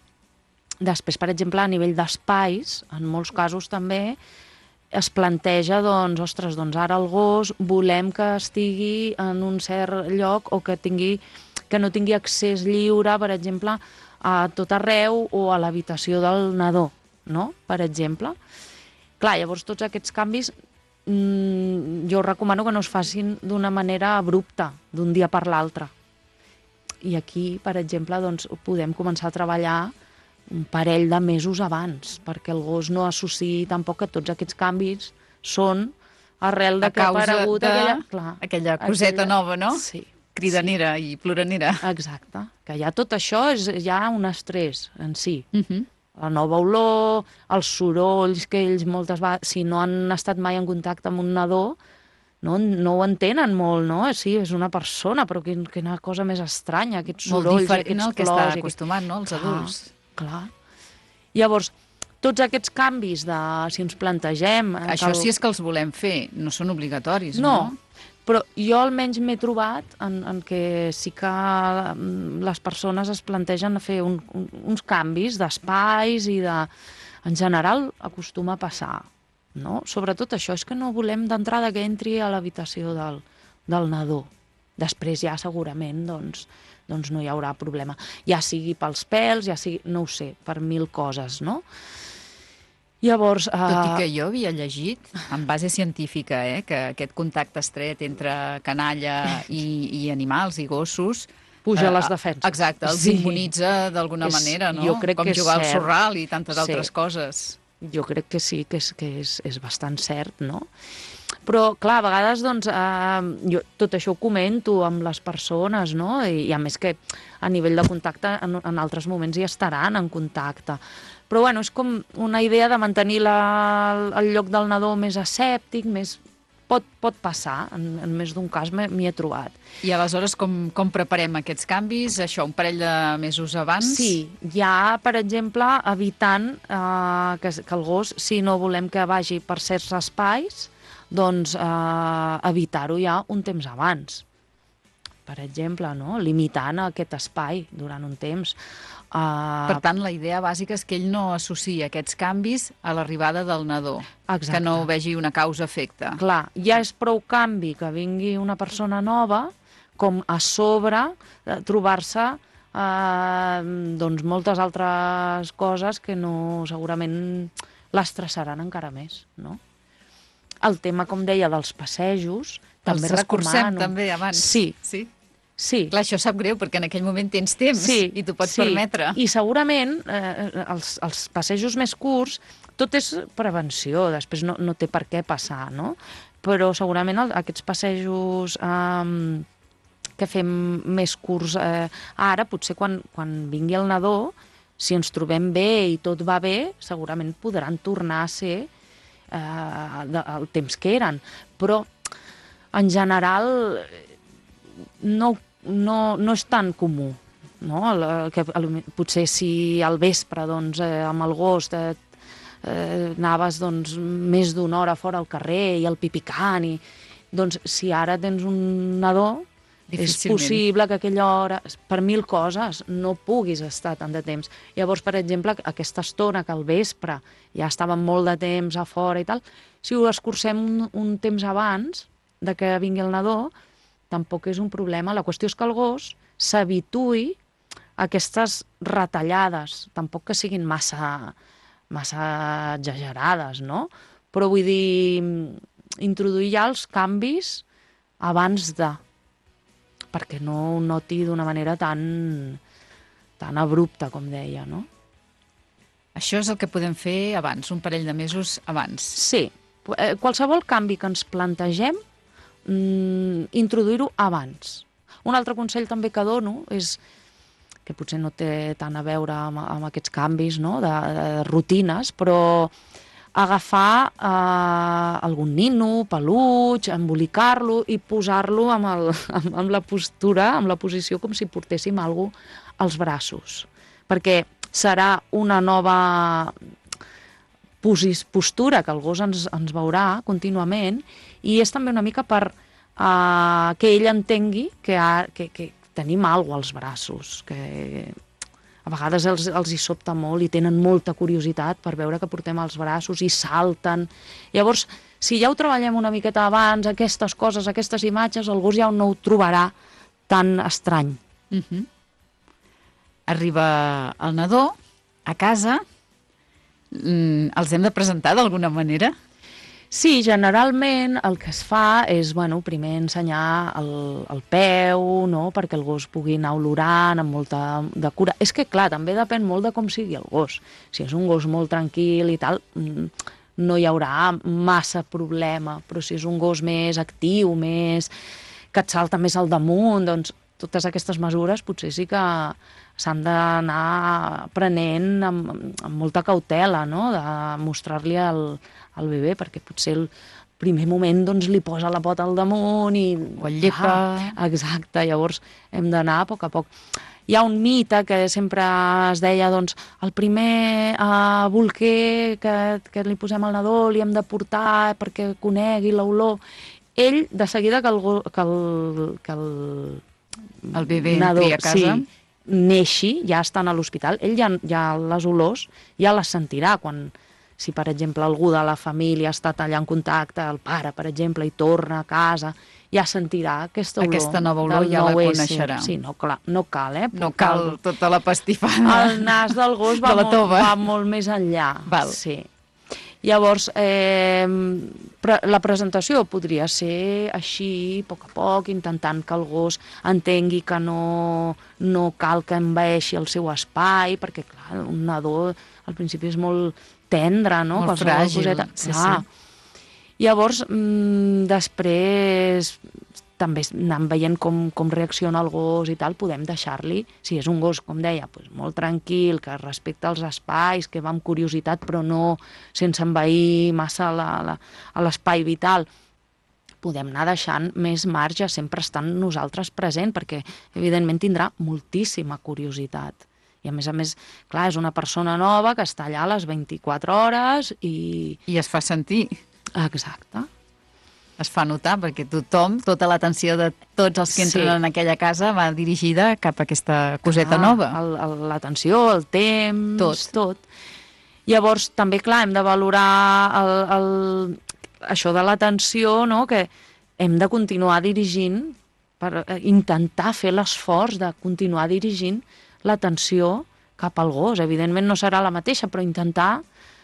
després, per exemple, a nivell d'espais, en molts casos també es planteja, doncs, ostres, doncs ara el gos volem que estigui en un cert lloc o que tingui que no tingui accés lliure, per exemple, a tot arreu o a l'habitació del nadó, no? Per exemple. Clar, llavors tots aquests canvis mmm, jo recomano que no es facin d'una manera abrupta, d'un dia per l'altre. I aquí, per exemple, doncs, podem començar a treballar un parell de mesos abans, perquè el gos no associï tampoc que tots aquests canvis són arrel de que ha aparegut de... aquella... Clar, aquella coseta aquella... nova, no? Sí. Cridanera sí. I ploranera. Exacte, que ja tot això és ja un estrès en si. Uh -huh. La nova olor, els sorolls que ells moltes vegades, si no han estat mai en contacte amb un nadó, no, no ho entenen molt, no? Sí, és una persona, però quin, quina cosa més estranya, aquests sorolls, molt diferent, aquests no, el que plors... està acostumat, no?, els clar, adults. Clar. Llavors, tots aquests canvis de si ens plantegem... Això el... sí és que els volem fer, no són obligatoris, no? No, però jo almenys m'he trobat en, en què sí que les persones es plantegen fer un, un, uns canvis d'espais i de... En general acostuma a passar, no? Sobretot això, és que no volem d'entrada que entri a l'habitació del, del nadó. Després ja segurament doncs, doncs no hi haurà problema. Ja sigui pels pèls, ja sigui, no ho sé, per mil coses, no? Llavors, uh... Tot i que jo havia llegit, en base científica, eh, que aquest contacte estret entre canalla i, i animals i gossos... Puja uh, les defenses. Exacte, els sí. immunitza d'alguna manera, no? Jo crec Com que jugar és al cert. sorral i tantes sí. altres coses. Jo crec que sí, que és, que és, és bastant cert, no? Però, clar, a vegades, doncs, eh, jo tot això ho comento amb les persones, no? I, i a més que a nivell de contacte, en, en altres moments hi estaran en contacte. Però, bueno, és com una idea de mantenir la, el lloc del nadó més asèptic, més... Pot, pot passar, en, en més d'un cas m'hi he trobat. I aleshores com, com preparem aquests canvis? Això, un parell de mesos abans? Sí, ja, per exemple, evitant eh, que, que el gos, si no volem que vagi per certs espais, doncs eh, evitar-ho ja un temps abans. Per exemple, no? Limitant aquest espai durant un temps. Uh... Per tant, la idea bàsica és que ell no associï aquests canvis a l'arribada del nadó. Exacte. Que no vegi una causa-efecte. Clar, ja és prou canvi que vingui una persona nova com a sobre eh, trobar-se eh, doncs moltes altres coses que no segurament l'estressaran encara més, no? El tema, com deia, dels passejos, també Els escurcem recomano. també abans. Sí. Sí. Sí. Clar, això sap greu, perquè en aquell moment tens temps sí, i t'ho pots sí. permetre. I segurament eh, els, els passejos més curts, tot és prevenció, després no, no té per què passar, no? Però segurament el, aquests passejos eh, que fem més curts eh, ara, potser quan, quan vingui el nadó, si ens trobem bé i tot va bé, segurament podran tornar a ser eh, de, el temps que eren. Però, en general, no No, no és tan comú, no? El, que, el, potser si al vespre doncs, eh, amb el gos eh, eh, anaves doncs, més d'una hora fora al carrer i el pipicant, i, doncs si ara tens un nadó, és possible que aquella hora, per mil coses, no puguis estar tant de temps. Llavors, per exemple, aquesta estona que al vespre ja estàvem molt de temps a fora i tal, si ho escurcem un, un temps abans de que vingui el nadó, tampoc és un problema. La qüestió és que el gos s'habituï a aquestes retallades, tampoc que siguin massa, massa exagerades, no? Però vull dir, introduir ja els canvis abans de, perquè no ho noti d'una manera tan, tan abrupta, com deia, no? Això és el que podem fer abans, un parell de mesos abans. Sí. Qualsevol canvi que ens plantegem, mmm, introduir-ho abans. Un altre consell també que dono és, que potser no té tant a veure amb, amb aquests canvis, no?, de, de rutines, però agafar eh, algun nino, peluig, embolicar-lo i posar-lo amb, el, amb, amb la postura, amb la posició com si portéssim alguna cosa als braços. Perquè serà una nova postura que el gos ens, ens veurà contínuament i és també una mica per eh, que ell entengui que, ha, que, que tenim alguna cosa als braços, que a vegades els, els hi sobta molt i tenen molta curiositat per veure que portem els braços i salten. Llavors, si ja ho treballem una miqueta abans, aquestes coses, aquestes imatges, el gos ja no ho trobarà tan estrany. Uh-huh. Arriba el nadó a casa, mm, els hem de presentar d'alguna manera? Sí, generalment el que es fa és, bueno, primer ensenyar el, el peu, no?, perquè el gos pugui anar olorant amb molta de cura. És que, clar, també depèn molt de com sigui el gos. Si és un gos molt tranquil i tal, no hi haurà massa problema, però si és un gos més actiu, més que et salta més al damunt, doncs totes aquestes mesures potser sí que s'han d'anar prenent amb, amb molta cautela, no?, de mostrar-li al, al bebè, perquè potser el primer moment doncs, li posa la pota al damunt i... O el llepa. Ah, exacte, llavors hem d'anar a poc a poc. Hi ha un mite que sempre es deia, doncs, el primer uh, bolquer que, que li posem al nadó li hem de portar perquè conegui l'olor. Ell, de seguida que el, que el, que el, el bebè nadó, entri a casa... Sí, neixi, ja estan a l'hospital, ell ja, ja les olors ja les sentirà quan, si per exemple algú de la família ha estat allà en contacte, el pare per exemple, i torna a casa, ja sentirà aquesta olor. Aquesta nova olor ja la coneixerà. Sí, no, clar, no cal, eh? No cal tota la pastifada. El nas del gos va, de la molt, va molt més enllà. Val. Sí. Llavors, eh, pre la presentació podria ser així, a poc a poc, intentant que el gos entengui que no, no cal que envaeixi el seu espai, perquè, clar, un nadó al principi és molt tendre, no? Molt fràgil. Coseta. Sí, sí. Llavors, mm, després també anant veient com, com reacciona el gos i tal, podem deixar-li, si és un gos, com deia, doncs molt tranquil, que respecta els espais, que va amb curiositat, però no sense envair massa l'espai vital, podem anar deixant més marge, sempre estant nosaltres present, perquè evidentment tindrà moltíssima curiositat. I a més a més, clar, és una persona nova que està allà a les vint-i-quatre hores i... I es fa sentir. Exacte. Es fa notar, perquè tothom, tota l'atenció de tots els que entren sí. en aquella casa va dirigida cap a aquesta coseta ah, nova. L'atenció, el temps, tot. tot. Llavors, també, clar, hem de valorar el, el, això de l'atenció, no?, que hem de continuar dirigint, per intentar fer l'esforç de continuar dirigint l'atenció cap al gos. Evidentment no serà la mateixa, però intentar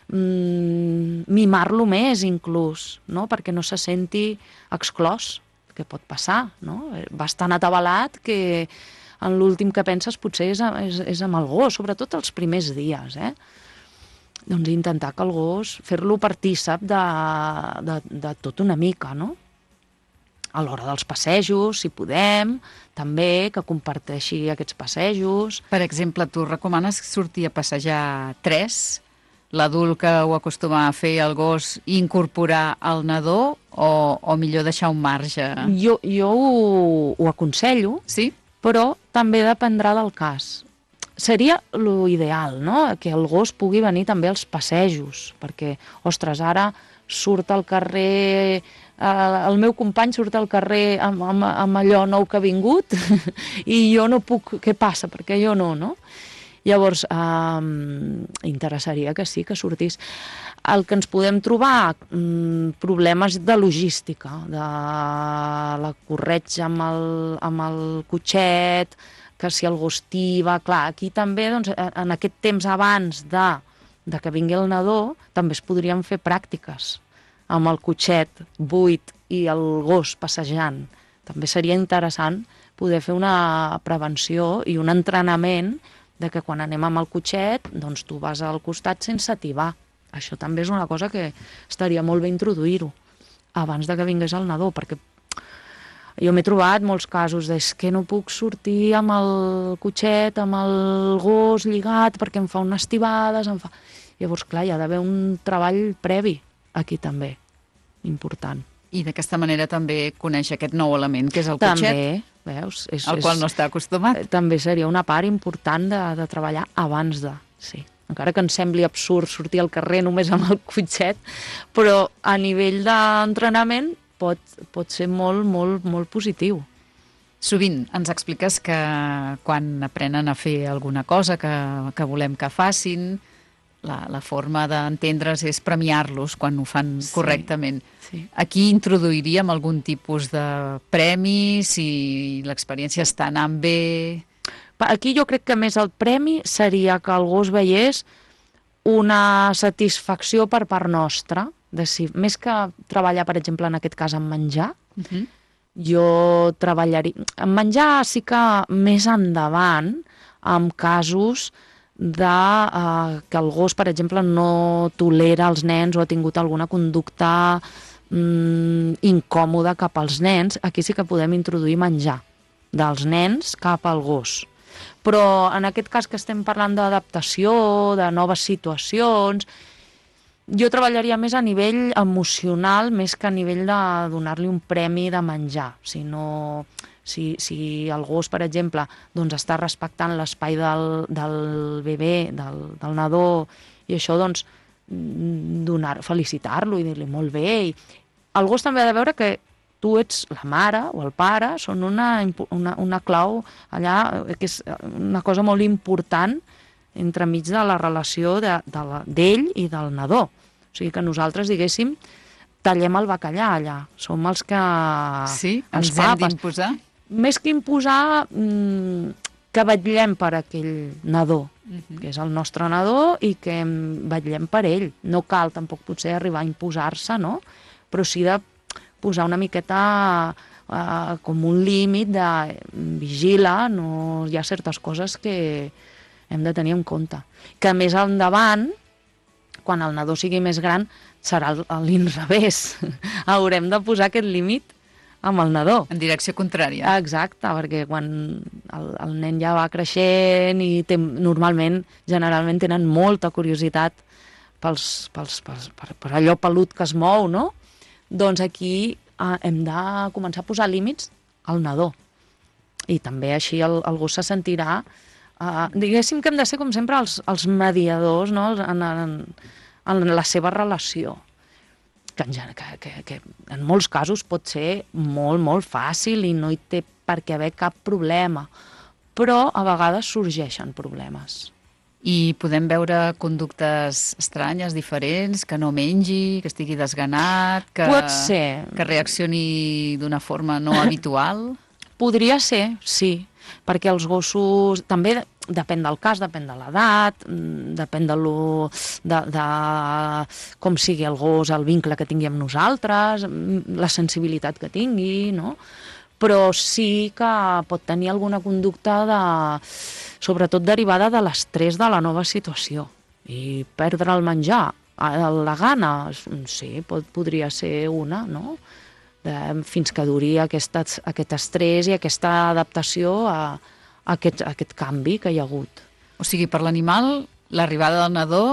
mimar-lo més inclús, no?, perquè no se senti exclòs, que pot passar, no? Va tan atabalat que en l'últim que penses potser és, és, és amb el gos, sobretot els primers dies, eh? Doncs intentar que el gos, fer-lo partícip de, de, de tot una mica, no? A l'hora dels passejos, si podem, també que comparteixi aquests passejos. Per exemple, tu recomanes sortir a passejar tres, l'adult que ho acostuma a fer el gos, i incorporar el nadó, o, o millor deixar un marge? Jo, jo ho, ho aconsello, sí? Però també dependrà del cas. Seria l'ideal, no?, que el gos pugui venir també als passejos, perquè, ostres, ara surt al carrer, eh, el meu company surt al carrer amb, amb, amb allò nou que ha vingut i jo no puc, què passa? Perquè jo no, no? Llavors, eh, interessaria que sí, que sortís. El que ens podem trobar, mm, problemes de logística, de la corretja amb el, amb el cotxet, que si el gos tiba, clar, aquí també, doncs, en aquest temps abans de, de que vingui el nadó, també es podrien fer pràctiques amb el cotxet buit i el gos passejant. També seria interessant poder fer una prevenció i un entrenament de que quan anem amb el cotxet, doncs tu vas al costat sense ativar. Això també és una cosa que estaria molt bé introduir-ho abans de que vingués el nadó, perquè jo m'he trobat molts casos de que no puc sortir amb el cotxet, amb el gos lligat, perquè em fa unes tibades, em fa... Llavors, clar, hi ha d'haver un treball previ aquí també, important. I d'aquesta manera també coneix aquest nou element, que és el també, cotxet, veus? És, al qual no està acostumat. També seria una part important de, de treballar abans de, sí. Encara que ens sembli absurd sortir al carrer només amb el cotxet, però a nivell d'entrenament pot, pot ser molt, molt, molt positiu. Sovint ens expliques que quan aprenen a fer alguna cosa que, que volem que facin, la, la forma d'entendre's és premiar-los quan ho fan sí, correctament. Sí. Aquí introduiríem algun tipus de premi, si l'experiència està anant bé... Aquí jo crec que més el premi seria que el gos veiés una satisfacció per part nostra, de si, més que treballar, per exemple, en aquest cas, en menjar, uh-huh. jo treballaria... En menjar sí que més endavant, en casos de eh, que el gos, per exemple, no tolera els nens o ha tingut alguna conducta mm, incòmoda cap als nens, aquí sí que podem introduir menjar dels nens cap al gos. Però en aquest cas que estem parlant d'adaptació, de noves situacions, jo treballaria més a nivell emocional més que a nivell de donar-li un premi de menjar. Si, no, si, si el gos, per exemple, doncs està respectant l'espai del, del bebè, del, del nadó, i això, doncs, donar, felicitar-lo i dir-li molt bé. I el gos també ha de veure que tu ets la mare o el pare, són una, una, una clau allà, que és una cosa molt important entremig de la relació de, de la, d'ell i del nadó. O sigui que nosaltres, diguéssim, tallem el bacallà allà. Som els que... Sí, ens hem d'imposar. Més que imposar, que vetllem per aquell nadó, uh-huh. que és el nostre nadó, i que vetllem per ell. No cal tampoc potser arribar a imposar-se, no? Però sí de posar una miqueta uh, com un límit de vigila, no, hi ha certes coses que hem de tenir en compte. Que més endavant, quan el nadó sigui més gran, serà l'inrevés. Haurem de posar aquest límit amb el nadó. En direcció contrària. Exacte, perquè quan el, el nen ja va creixent i té, normalment, generalment tenen molta curiositat pels, pels, pels, per, per allò pelut que es mou, no? Doncs aquí eh, hem de començar a posar límits al nadó. I també així el, el gos se sentirà... Eh, diguéssim que hem de ser, com sempre, els, els mediadors, no? en, en, en la seva relació. Que en, que, que, que en molts casos pot ser molt, molt fàcil i no hi té per què haver cap problema. Però a vegades sorgeixen problemes. I podem veure conductes estranyes, diferents, que no mengi, que estigui desganat, que, pot ser. Que reaccioni d'una forma no habitual? Podria ser, sí, perquè els gossos també depèn del cas, depèn de l'edat, depèn de, lo, de, de com sigui el gos, el vincle que tingui amb nosaltres, la sensibilitat que tingui, no? Però sí que pot tenir alguna conducta de, sobretot derivada de l'estrès de la nova situació. I perdre el menjar, la gana, sí, pot, podria ser una, no? De, fins que duri aquest, aquest estrès i aquesta adaptació a, a, aquest, a aquest canvi que hi ha hagut. O sigui, per l'animal, l'arribada del nadó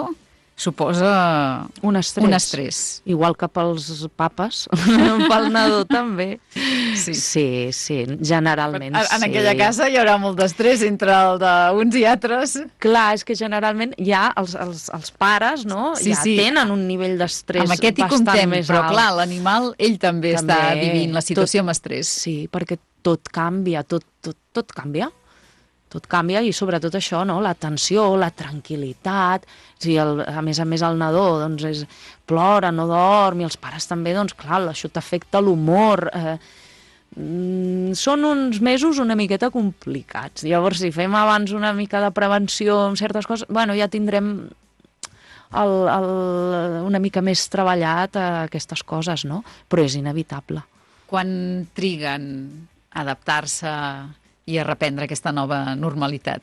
suposa un estrès. un estrès. Igual que pels papes, pel nadó també. Sí, sí, sí generalment en, en sí. aquella casa hi haurà molt d'estrès entre el d'uns i altres. Clar, és que generalment ja els, els, els pares, no? Sí, ja sí. tenen un nivell d'estrès bastant més alt. Amb aquest hi comptem, però clar, l'animal, ell també, també està vivint la situació tot, amb estrès. Sí, perquè tot canvia, tot, tot, tot canvia. Tot canvia i sobretot això, no? L'atenció, la tranquil·litat, si el, a més a més el nadó doncs, és, plora, no dorm, i els pares també, doncs clar, això t'afecta l'humor. Eh, mm, són uns mesos una miqueta complicats. Llavors, si fem abans una mica de prevenció en certes coses, bueno, ja tindrem el, el, una mica més treballat a aquestes coses, no? Però és inevitable. Quan triguen a adaptar-se i a reprendre aquesta nova normalitat?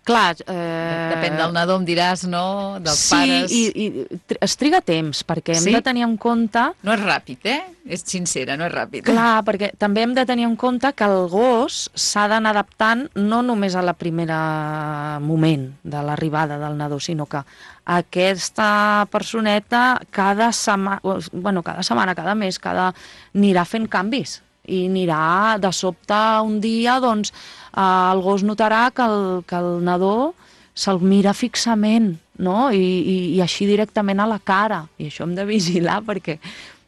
Clar, eh... Depèn del nadó, em diràs, no? Dels sí, pares. Sí, i, i es triga temps, perquè hem Sí? de tenir en compte... No és ràpid, eh? És sincera, no és ràpid. Clar, perquè també hem de tenir en compte que el gos s'ha d'anar adaptant no només a la primera moment de l'arribada del nadó, sinó que aquesta personeta cada setmana, bueno, cada setmana, cada mes, cada... anirà fent canvis i anirà de sobte un dia, doncs, eh, el gos notarà que el, que el nadó se'l mira fixament, no? I, i, i així directament a la cara. I això hem de vigilar perquè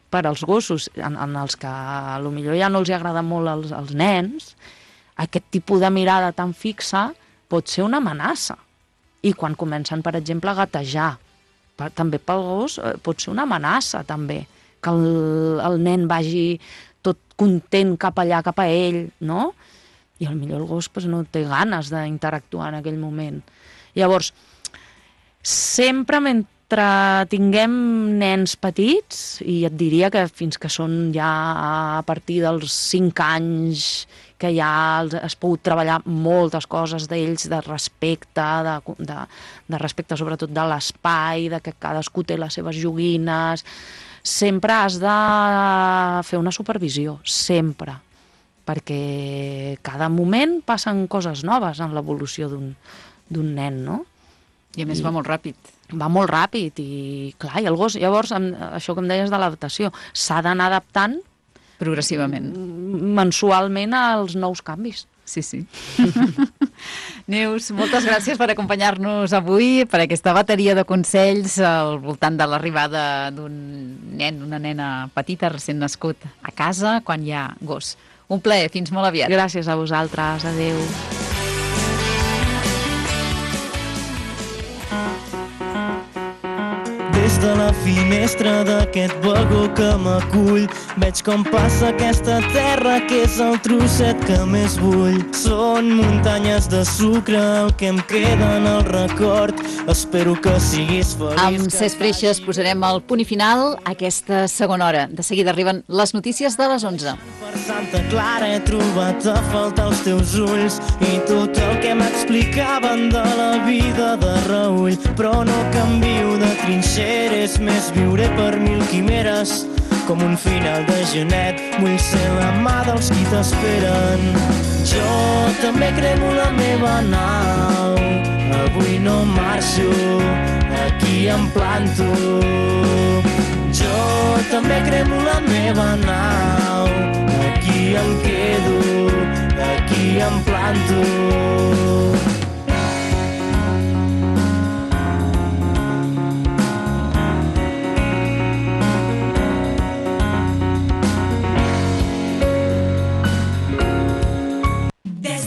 per als gossos, en, en els que potser ja no els agrada molt als, als nens, aquest tipus de mirada tan fixa pot ser una amenaça. I quan comencen, per exemple, a gatejar, per, també pel gos eh, pot ser una amenaça, també, que el, el nen vagi tot content cap allà, cap a ell, no? I potser el gos pues, no té ganes d'interactuar en aquell moment. Llavors, sempre mentre tinguem nens petits, i et diria que fins que són ja a partir dels cinc anys, que ja has pogut treballar moltes coses d'ells, de respecte, de, de, de respecte sobretot de l'espai, de que cadascú té les seves joguines, sempre has de fer una supervisió, sempre, perquè cada moment passen coses noves en l'evolució d'un d'un nen, no? I a més I... va molt ràpid. Va molt ràpid i, clar, i el gos, llavors, això que em deies de l'adaptació, s'ha d'anar adaptant progressivament, mensualment als nous canvis. Sí, sí. Neus, moltes gràcies per acompanyar-nos avui, per aquesta bateria de consells al voltant de l'arribada d'un nen, una nena petita, recent nascut a casa, quan hi ha gos. Un plaer, fins molt aviat. Gràcies a vosaltres, adeu. Des de la finestra d'aquest vagó que m'acull veig com passa aquesta terra que és el trosset que més vull. Són muntanyes de sucre el que em queda en el record. Espero que siguis feliç. Amb Cesc Freixes posarem el punt i final a aquesta segona hora. De seguida arriben les notícies de les onze. Per Santa Clara he trobat a faltar els teus ulls i tot el que m'explicaven de la vida de Raül. Però no canvio de trinxeres, més viuré per mil quimeres. Com un final de genet, vull ser la mà dels qui t'esperen. Jo també cremo la meva nau, avui no marxo, aquí em planto. Jo també cremo la meva nau, aquí em quedo, aquí em planto. Des